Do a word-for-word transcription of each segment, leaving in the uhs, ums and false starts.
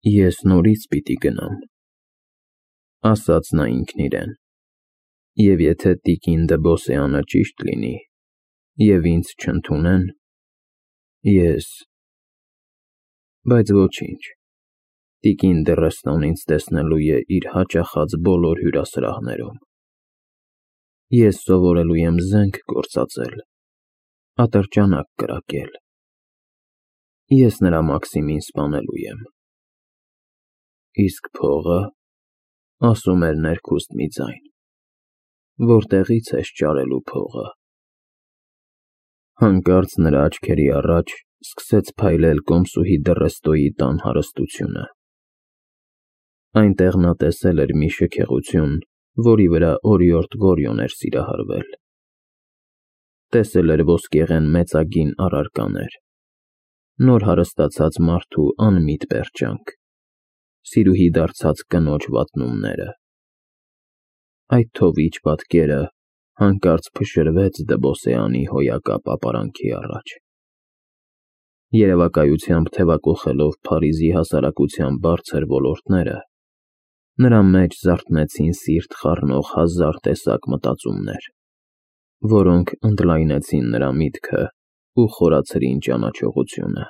Ես նորից պիտի գնամ, ասաց նա ինքն իրեն, և եթե տիկին Դ'Բոսեանը ճիշտ լինի, և ինձ չընդունեն, ես… Բայց ոչինչ, տիկին Դ'Եռեստոն ինձ տեսնելու է իր հաճախած բոլոր հյուրասրահներում, ես սովորելու եմ զենք գործածել, ատրճանակ կրակել, ես նրա Մաքսիմին սպանելու եմ, իսկ փողը, ասում էր ներքուստ մի ձայն, որտեղի՞ց ես ճարելու փողը… Հանկարծ նրա աչքերի առաջ սկսեց փայլել կոմսուհի Դ'Եռեստոյի տան հարստությունը… Այնտեղ նա տեսել էր մի շքեղություն, որի վրա օրիորդ Գորյուն էր սիրահարվել, տեսել էր ոսկեղեն մեծագին առարկաներ, նոր հարստացած մարդու անմիտ պերճանք, սիրուհի դարձած կնոջ վատնումները… Այդ թովիչ պատկերը հանկարծ փշրվեց Դ'Բոսեանի հոյակապ ապարանքի առաջ… Երևակայությամբ թևակոխելով Փարիզի հասարակության բարձր ոլորտները, նրա մեջ զարթնեցին սիրտ խառնող հազար տեսակ մտածումներ, որոնք ընդլայնեցին նրա միտքն ու խորացրին ճանաչողությունը…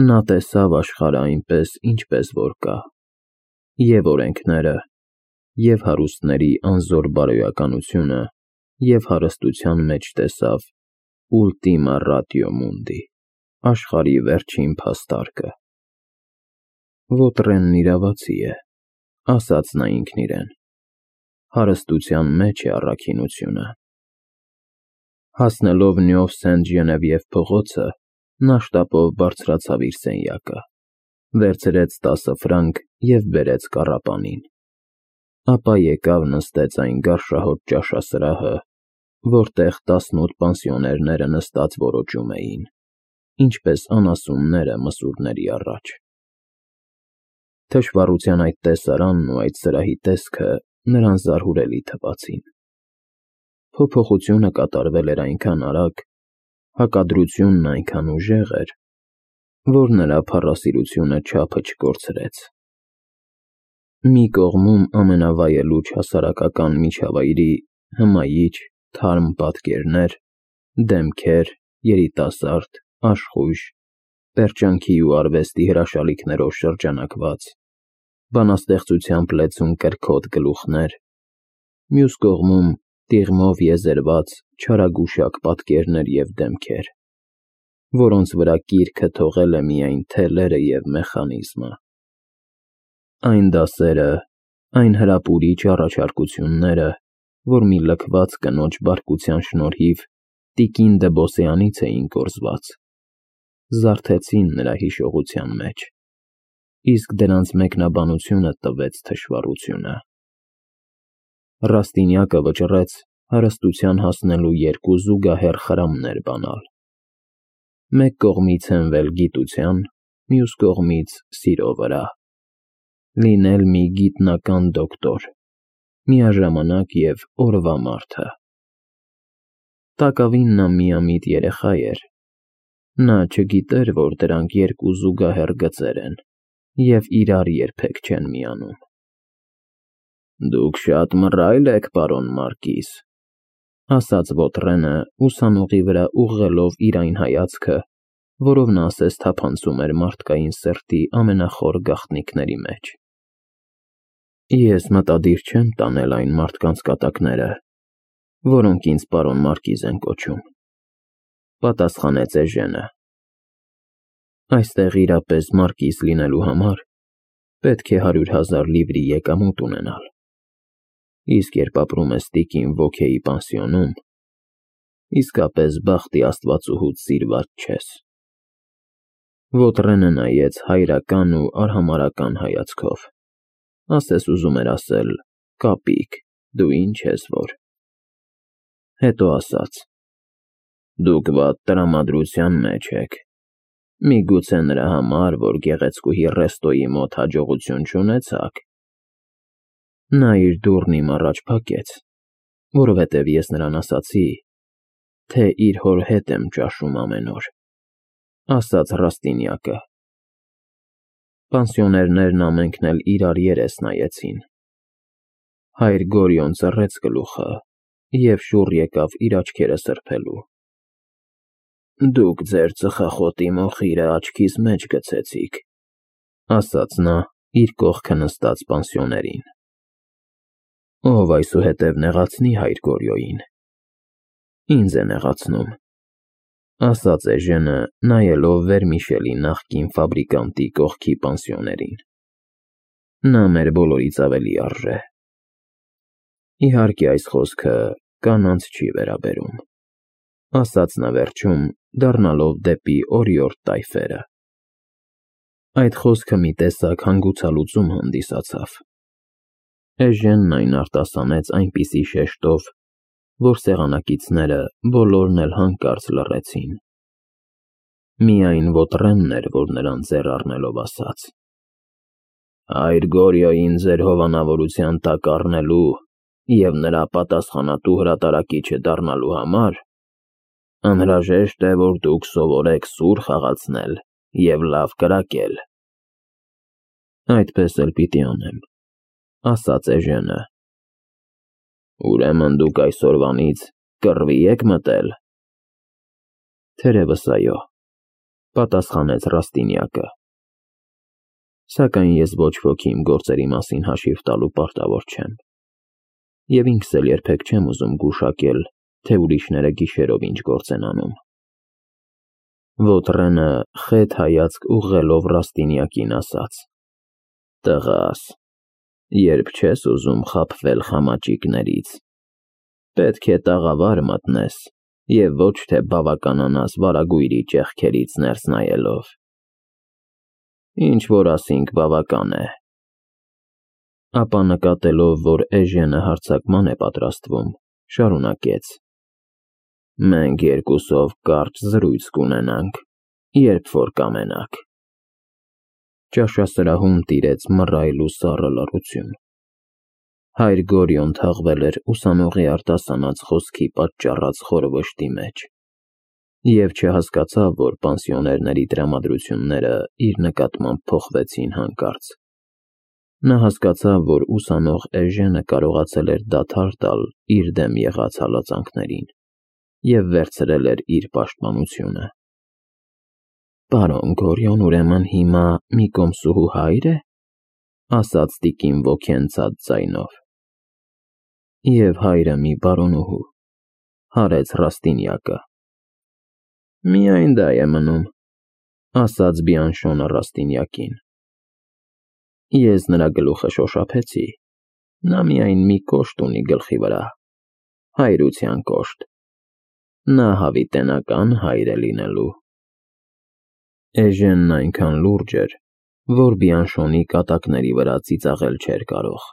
Նա տեսավ աշխարհն այնպես, ինչպես որ կա, և օրենքները, և հարուստների անզոր բարոյականությունը, և հարստության մեջ տեսավ ուլտիմա ռատիո մունդի, աշխարհի վերջին փաստարկը… Ոտրենն իրավացի է, ասաց նա ինքն իրեն, հարստության մեջ է առաքինությունը… Հասնելով Նյով Սենտ Ժենևիև փողոցը, նա շտապով բարձրացավ իր սենյակը, վերցրեց տասը ֆրանկ և բերեց կառապանին, ապա եկավ նստեց այն գարշահոտ ճաշասրահը, որտեղ տասնութ պանսիոներները նստած որոճում էին, ինչպես անասունները մսուրների առաջ… Թշվառության այդ տեսարանն ու այդ սրահի տեսքը նրան զարհուրելի թվացին… Փոփոխությունը կատարվել էր այնքան արագ, հակադրությունն այնքան ուժեղ էր, որ նրա փառասիրությունը չափը չկորցրեց… Մի կողմում ամենավայելուչ հասարակական միջավայրի հմայիչ, թարմ պատկերներ, դեմքեր, երիտասարդ, աշխույժ, պերճանքի ու արվեստի հրաշալիքներով շրջանակված, բանաստեղծությամբ լեցուն կրքոտ գլուխներ, մյուս կողմում տიღմով եզերված չարագուշակ պատկերներ և դեմքեր, որոնց վրա կիրքը թողել է միայն թելերը և մեխանիզմը… Այն դասերը, այն հրապուրիչ առաջարկությունները, որ մի լքված կնոջ բարկության շնորհիվ տիկին Դ'Բոսեանից էին կորզված, զարթեցին նրա հիշողության մեջ, իսկ դրանց մեկնաբանությունը տվեց թշվառությունը… Ռաստինյակը վճռեց հարստության հասնելու երկու զուգահեռ խրամներ բանալ… Մեկ կողմից հենվել գիտության, մյուս կողմից սիրո վրա, լինել մի գիտնական դոկտոր, միաժամանակ և օրվա մարդը… Տակավին նա միամիտ երեխա էր, նա չգիտեր, որ դրանք երկու զուգահեռ գծեր են և իրար երբեք չեն միանում… ֊ Դուք շատ մռայլ եք, պարոն մարկիս, ֊ ասաց Ոտրենը, ուսանողի վրա ուղղելով իր այն հայացքը, որով նա ասես թափանցում էր մարդկային սրտի ամենախոր գաղտնիքների մեջ։ ֊ Ես մտադիր չեմ տանել այն մարդկանց կատակները, որոնք ինձ պարոն մարկիզ են կոչում, ֊ պատասխանեց Էժենը։ ֊ Այստեղ իրապես մարկիս լինելու համար պետք է հարյուր հազար լիվրի եկամուտ ունենալ, իսկ երբ ապրում ես տիկին Ոքեի պանսիոնում, իսկապես բախտի աստվածուհուց սիրված չես… Ոտրենը նայեց հայրական ու արհամարհական հայացքով, ասես ուզում էր ասել. «Կապիկ, դու ինչ ես որ…»… Հետո ասաց. ֊ Դուք վատ տրամադրության մեջ եք, միգուցե նրա համար, որ գեղեցկուհի Ռեստոյի մոտ հաջողություն չունեցաք… Նա իր դուռն իմ առաջ փակեց, որովհետև ես նրան ասացի, թե իր հոր հետ եմ ճաշում ամեն օր, ֊ ասաց Ռաստինյակը։ Պանսիոներներն ամենքն էլ իրար երես նայեցին։ Հայր Գորիոն ծռեց գլուխը և շուռ եկավ իր աչքերը սրբելու։ «Դուք ձեր ծխախոտի մոխիրը աչքիս մեջ գցեցիք», ասաց նա իր կողքը նստած պանսիոներին։ «Ով այսուհետև նեղացնի հայր Գորիոյին, ինձ է նեղացնում», ասաց Էժենը, նայելով Վերմիշելի նախկին ֆաբրիկանտի կողքի պանսիոներին։ «Նա մեր բոլորից ավելի արժե»։ Իհարկե այս խոսքը կանանց չի վերաբերում, ասաց նա վերջում, դառնալով դեպի օրիորդ տայֆերը։ Այդ խոսքը մի տեսակ հանգուցալուծում հանդիսացավ։ Էժենն այն արտասանեց այնպիսի շեշտով, որ սեղանակիցները բոլորն էլ հանկարծ լռեցին։ Միայն Վոտրենն էր, որ նրան ձեռ առնելով ասաց. «Հայր Գորիոյին ձեր հովանավորության տակ առնելու և նրա պատասխանատու հրատարակիչը դառնալու համար անհրաժեշտ է, որ դուք սովորեք սուր խաղացնել և լավ կրակել»։ «Այդպես էլ պիտի անեմ», ասաց Էժենը։ «Ուրեմն դուք այսօրվանից կռվի եք մտել»։ «Թերևս այո», պատասխանեց Ռաստինյակը։ «Սակայն ես ոչ ոքի իմ գործերի մասին հաշիվ տալու պարտավոր չեմ, և ինքս էլ երբեք չեմ ուզում գուշակել, թե ուրիշները գիշերով ինչ գործ են անում»։ Վոտրենը խետ հայացք ուղղելով Ռաստինյակին ասաց. «Տղաս, երբ չես ուզում խաբվել խամաճիկներից, պետք է տաղավար մտնես և ոչ թե բավականանաս վարագույրի ճեղքերից ներս նայելով։ Ինչ որ ասինք բավական է»։ Ապա նկատելով, որ Էժենը հարձակման է պատրաստվում, շարունակեց. «Մենք երկուսով կարճ զրույց կունենանք, երբ որ կամենաք»։ Ճաշասրահում տիրեց մռայլ ու սառը լռություն։ Հայր Գորիոն թաղվել էր ուսանողի արտասանած խոսքի պատճառած խոր վշտի մեջ և չհասկացավ, որ պանսիոներների տրամադրությունները իր նկատմամբ փոխվեցին հանկարծ։ Նա հասկացավ, որ ուսանող Էժենը կարողացել էր դադար տալ իր դեմ եղած հալածանքներին և վերցրել էր իր պաշտպանությունը։ «Պարոն Գորիոն ուրեմն հիմա մի կոմսուհու հայր է», ասաց տիկին ոգենցած ձայնով։ «Եվ հայրը մի բարոնուհու», հարեց Ռաստինյակը։ «Միայն դա է մնում», ասաց Բիանշոնը Ռաստինյակին։ «Ես նրա գլուխը շոշափեցի, նա միայն մի կոշտ ունի գլխի վրա, հայրության կոշտ, նա հավիտենական հայր է լինելու»։ Էժենն այնքան լուրջ էր, որ Բիանշոնի կատակների վրա ծիծաղել չէր կարող։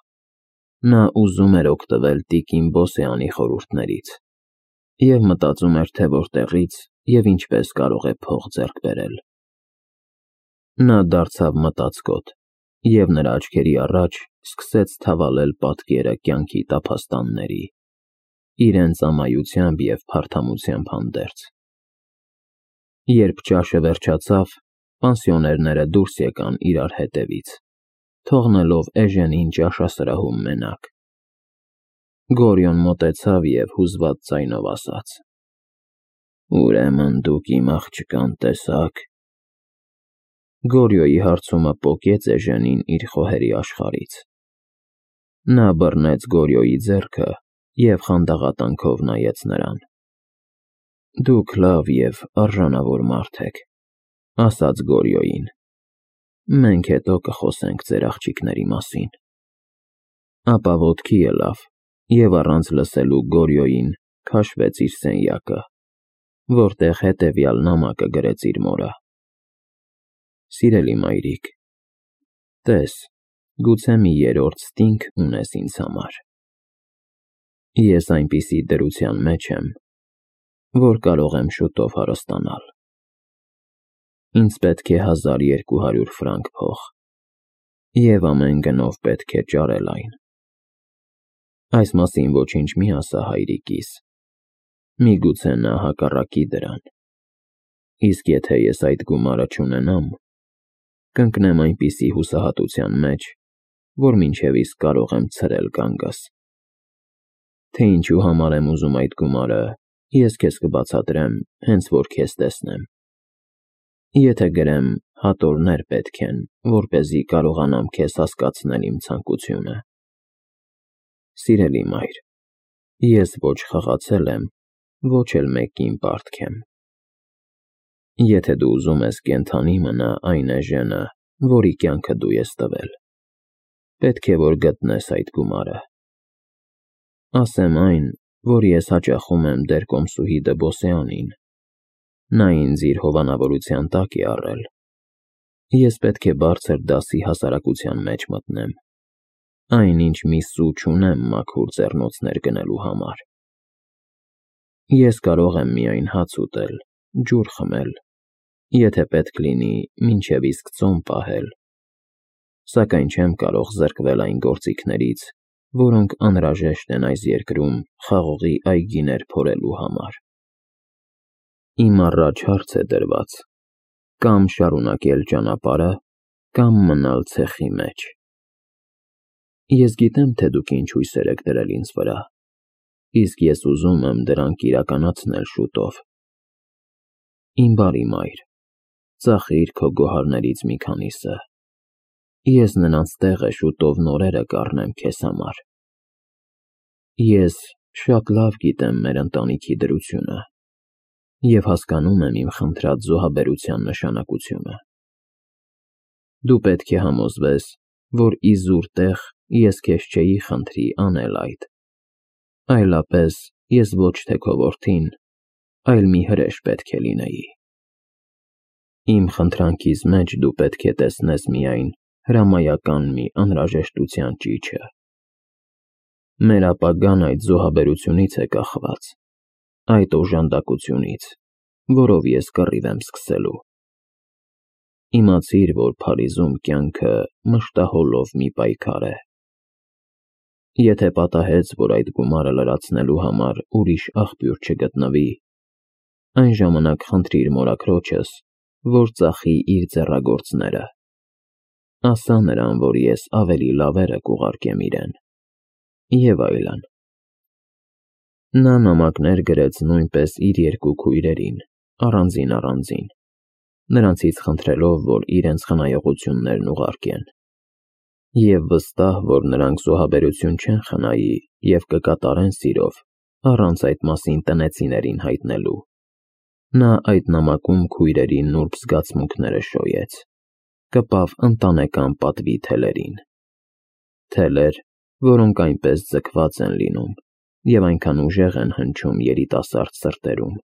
Նա ուզում էր օգտվել տիկին Բոսեանի խորհուրդներից և մտածում էր, թե որտեղից և ինչպես կարող է փող ձեռք բերել։ Նա դարձավ մտածկոտ, և նրա աչքերի առաջ սկսեց թավալել պատկերը կյանքի տափաստանների, իրենց ամայությամբ և փարթամությամբ հանդերձ։ Երբ ճաշը վերջացավ, պանսիոներները դուրս եկան իրար հետևից, թողնելով Էժենին ճաշասրահում մենակ։ Գորիոն մոտեցավ և հուզված ձայնով ասաց. «Ուրեմն դուք իմ աղջկան տեսա՞ք»։ Գորիոյի հարցումը պոկեց Էժենին իր խոհերի աշխարհից։ Նա բռնեց Գորիոյի ձեռքը և խանդաղատանքով նայեց նրան։ «Դուք լավ և արժանավոր մարդ եք», ասաց Գորիոյին։ «Մենք հետո կխոսենք ձեր աղջիկների մասին»։ Ապա ոտքի ելավ և առանց լսելու Գորիոյին քաշվեց իր սենյակը, որտեղ հետևյալ նամակը գրեց իր մորը. «Սիրելի մայրիկ, տես, գուցե մի երրորդ ստինգ ունես ինձ համար։ Ես այնպիսի դրության մեջ եմ, որ կարող եմ շուտով հարստանալ։ Ինձ պետք է հազար երկու հարյուր ֆրանկ փող, և ամեն գնով պետք է ճարել այն։ Այս մասին ոչինչ մի ասա հայրիկիս, միգուցե նա հակառակի դրան, իսկ եթե ես այդ գումարը չունենամ, կընկնեմ այնպիսի հուսահատության մեջ, որ մինչև իսկ կարող եմ ցրել կանգս։ Թե ինչու համար եմ ուզում այդ գումարը, ես քեզ կբացատրեմ, հենց որ քեզ տեսնեմ։ Եթե գրեմ հատորներ պետք են, որպեսզի կարողանամ քեզ հասկացնել իմ ցանկությունը։ Սիրելի մայր, ես ոչ խղացել եմ, ոչ էլ մեկին պարտք եմ։ Եթե դու ուզում ես կենդանի մնա այն էժենը, որի կյանքը դու ես տվել, պետք է որ գտնես այդ գումարը։ Ասեմ այն, որ ես հաճախում եմ դեր կոմսուհի Դբոսյանին, նա ինձ իր հովանավորության տակ է առել։ Ես պետք է բարձր դասի հասարակության մեջ մտնեմ, այնինչ մի սու չունեմ մաքուր ձեռնոցներ գնելու համար։ Ես կարող եմ միայն հաց ուտել, ջուր խմել, եթե պետք լինի, մինչև իսկ ծոմ պահել, սակայն չեմ կարող զրկվել այն գործիքներից, որոնք անհրաժեշտ են այս երկրում խաղողի այգիներ փորելու համար։ Իմ առաջ հարց է դրված. կամ շարունակել ճանապարհը, կամ մնալ ցեխի մեջ։ Ես գիտեմ, թե դուք ինչ հույսեր եք դրել ինձ վրա, իսկ ես ուզում եմ դրանք իրականացնել շուտով։ Իմ բարի մայր, ծախիր քո գոհարներից մի քանիսը։ Ես նրանց տեղը շուտով նորերը կառնեմ քեզ համար։ Ես շատ լավ գիտեմ մեր ընտանիքի դրությունը և հասկանում եմ իմ խնդրած զոհաբերության նշանակությունը։ Դու պետք է համոզվես, որ իզուր տեղ ես քեզ չէի խնդրի անել այդ, այլապես ես ոչ թե քո որդին, այլ մի հրեշ պետք է լինեի։ Իմ խնդրանքիս մեջ դու պետք է տեսնես միայն հրամայական մի անհրաժեշտության ճիչը։ Մեր ապագան այդ զոհաբերությունից է կախված, այդ օժանդակությունից, որով ես կռիվ եմ սկսելու։ Իմացիր, որ Փարիզում կյանքը մշտահոլով մի պայքար է։ Եթե պատահեց, որ այդ գումարը լրացնելու համար ուրիշ աղբյուր չգտնվի, այն ժամանակ խնդրիր մորաքրոջս, որ ծախի իր ձեռագործները։ Ասա նրան, որ ես ավելի լավերը կուղարկեմ իրեն, և այլն։ Նա նամակներ գրեց նույնպես իր երկու քույրերին, առանձին-առանձին, նրանցից խնդրելով, որ իրենց խնայողություններն ուղարկեն, և վստահ, որ նրանք զոհաբերություն չեն խնայի և կկատարեն սիրով, առանց այդ մասին տնեցիներին հայտնելու։ Նա այդ նամակում քույրերի նուրբ զգացմունքները շոյեց, կպավ ընտանեկան պատվի թելերին։ Թելեր, որոնք այնպես ձգված են լինում և այնքան ուժեղ են հնչում երիտասարդ սրտերում։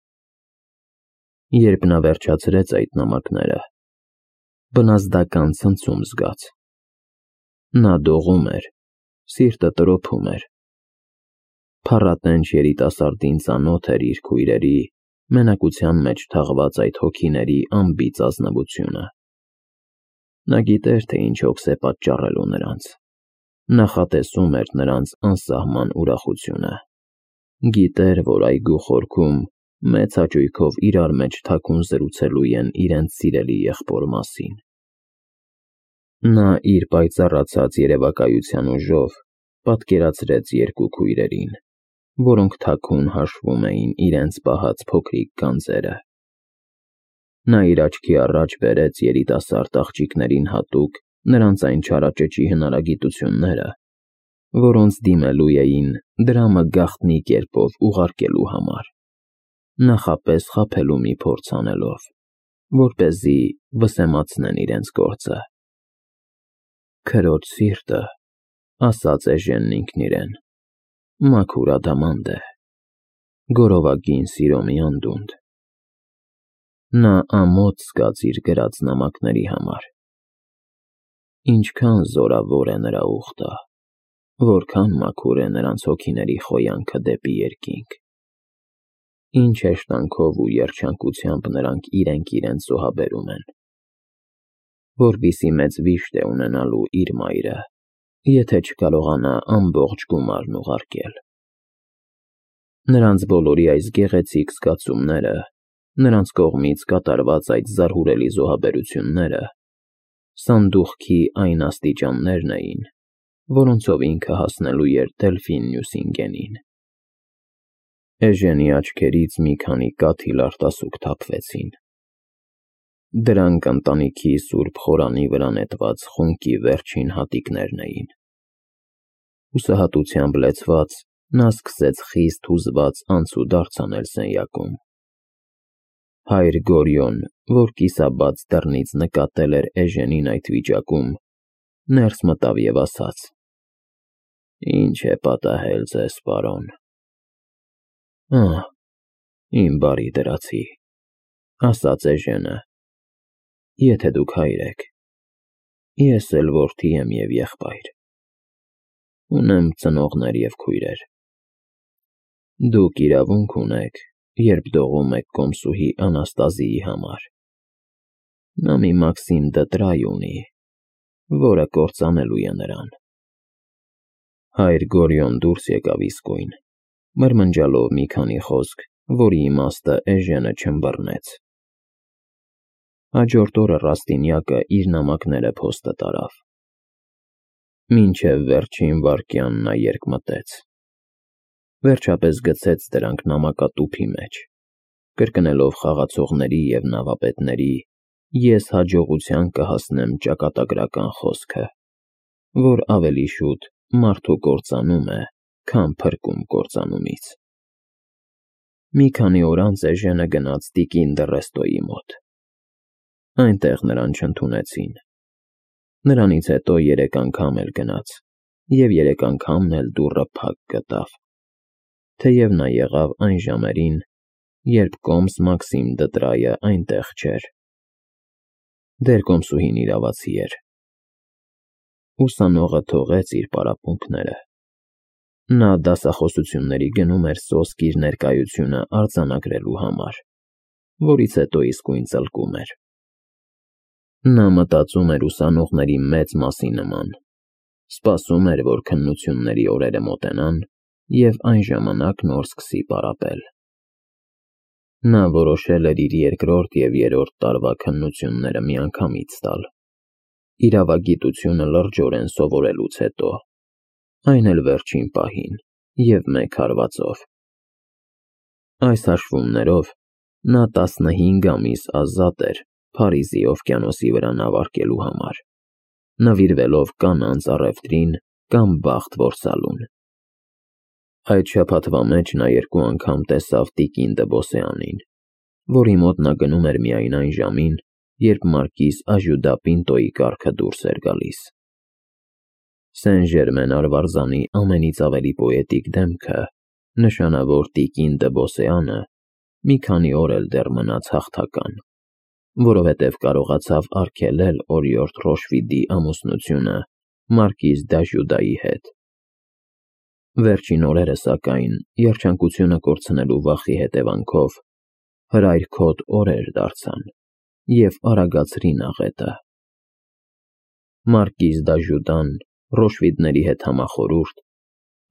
Երբ նա վերջացրեց այդ նամակները, բնազդական ցնցում զգաց։ Նա դողում էր, սիրտը տրոփում էր։ Փառատենչ երիտասարդին ծանոթ էր իր քույրերի մենակության մեջ թաղված այդ հոգիների անբիծ ազնվությունը։ Նա գիտեր, թե ինչ հոգս է պատճառելու նրանց, նախատեսում էր նրանց անսահման ուրախությունը, գիտեր, որ այգու խորքում մեծ հաճույքով իրար մեջ թաքուն զրուցելու են իրենց սիրելի եղբոր մասին։ Նա իր պայծառացած երևակայության ուժով պատկերացրեց երկու քույրերին, որոնք թաքուն հաշվում էին իրենց պահած փոքրիկ գանձերը։ Նա իր աչքի առաջ բերեց երիտասարդ աղջիկներին հատուկ նրանց այն չարաճճի հնարագիտությունները, որոնց դիմելու էին դրամը գաղտնի կերպով ուղարկելու համար, նախապես խաբելու մի փորձ անելով, որպեսզի վսեմացնեն իրենց գործը։ Քրոջ սիրտը, ասաց էժենն ինքն իրեն, մաքուր ադամանդ է, գորովագին սիրո մի անդունդ։ Նա ամոթ զգաց իր գրած նամակների համար։ Ինչքան զորավոր է նրա ուխտը, որքան մաքուր է նրանց հոգիների խոյանքը դեպի երկինք։ Ինչ հեշտանքով ու երջանկությամբ նրանք իրենք իրենց զոհաբերում են։ Որպիսի մեծ վիշտ է ունենալու իր մայրը, եթե չկարողանա ամբողջ գումարն ուղարկել։ Նրանց բոլորի այս գեղեցիկ զգացումները, նրանց կողմից կատարված այդ զարհուրելի զոհաբերությունները Սանդուղքի այն աստիճաններն էին, որոնցով ինքը հասնելու էր Դելֆին Նյուսինգենին։ Էժենի աչքերից մի քանի կաթիլ արտասուք թափվեցին։ Դրանք ընտանիքի սուրբ խորանի վրա նետված խունկի վերջին հատիկներն էին։ Հուսահատությամբ լեցված, նա սկսեց խիստ հուզված անցուդարձ անել սենյակում։ Հայր Գորյոն, որ կիսաբաց դռնից նկատել էր Էժենին այդ վիճակում, ներս մտավ և ասաց. «Ինչ է պատահել ձեզ, պարոն»։ «Ահ, իմ բարի դրացի», ասաց Էժենը, «եթե դուք հայր եք, ես էլ որդի եմ և եղբայր, ունեմ ծնողներ և քույրեր։ Դուք իրավունք ունեք, երբ դողում եք կոմսուհի Անաստազիի համար։ Նա մի Մաքսիմ դը տրայ ունի, որը կործանելու է նրան»։ Հայր Գորյոն դուրս եկավ իսկույն, մրմնջալով մի քանի խոսք, որի իմաստը Էժենը չըմբռնեց։ Հաջորդ օրը Ռաստինյակը իր նամակները փոստը տարավ։ Մինչև վերջին վայրկյան նա երկմտեց։ Վերջապես գցեց դրանք նամակատուփի մեջ, կրկնելով խաղացողների և նավապետների «ես հաջողության կհասնեմ» ճակատագրական խոսքը, որ ավելի շուտ մարդու կործանում է, քան փրկում կործանումից։ Մի քանի օր անց Էժենը գնաց տիկին Դռեստոյի մոտ։ Այնտեղ նրան չընդունեցին։ Նրանից հետո երեք անգամ էլ գնաց, և երեք անգամն էլ դուռը փակ գտավ, թեև նա եղավ այն ժամերին, երբ կոմս Մաքսիմ դը Տրայը այնտեղ չէր։ Դերկոմսուհին իրավացի էր։ Ուսանողը թողեց իր պարապմունքները։ Նա դասախոսությունների գնում էր սոսկ իր ներկայությունը արձանագրելու համար, որից հետո իսկույն ծլկում էր։ Նա մտածում էր ուսանողների մեծ մասի նման, սպասում էր, որ քննությունների օրերը մոտենան, և այն ժամանակ նոր սկսի պարապել։ Նա որոշել էր իր երկրորդ և երրորդ տարվա քննությունները միանգամից տալ, իրավագիտությունը լրջորեն սովորելուց հետո, այն էլ վերջին պահին և մեկ հարվածով։ Այս հաշվումներով նա տասնհինգ ամիս ազատ էր Փարիզի օվկիանոսի վրա նավարկելու համար, նվիրվելով կանանց առևտրին կամ բախտ որսալուն։ Այդ շաբաթվա մեջ նա երկու անգամ տեսավ տիկին Դ'Բոսեանին, որի մոտ նա գնում էր միայն այն ժամին, երբ մարկիս Աժյուդա կառքը դուրս էր գալիս։ Սեն Ժերմեն արվարձանի ամենից ավելի պոետիկ դեմքը, նշանավոր տիկին Դ'Բոսեանը, մի քանի օր էլ դեռ մնաց հաղթական, որովհետև կարողացավ արգելել օրիորդ Ռոշվիդի ամուսնությունը մարկիս Դ'Աժյուդայի հետ։ Վերջին օրերը, սակայն, երջանկությունը կորցնելու վախի հետևանքով, հրայրքոտ օրեր դարձան և արագացրին աղետը։ Մարկիս Դ'Աժյուդան, Ռոշվիդների հետ համախորհուրդ,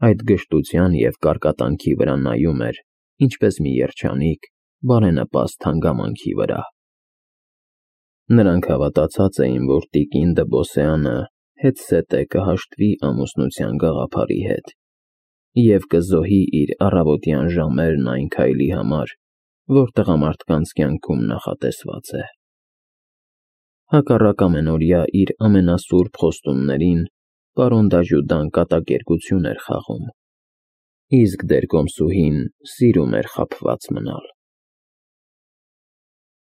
այդ գժտության և կարկատանքի վրա նայում էր, ինչպես մի երջանիկ, բարենպաստ հանգամանքի վրա։ Նրանք հավատացած էին, որ տիկին Դ'Բոսեանը հետզհետե կհաշտվի ամուսնության գաղափարի հետ և կզոհի իր առավոտյան ժամերն այն քայլի համար, որ տղամարդկանց կյանքում նախատեսված է։ Հակառակ ամենօրյա իր ամենասուրբ խոստումներին պարոն Դ'Աժյուդան կատակերգություն էր խաղում, իսկ դերկոմսուհին սիրում էր խաբված մնալ։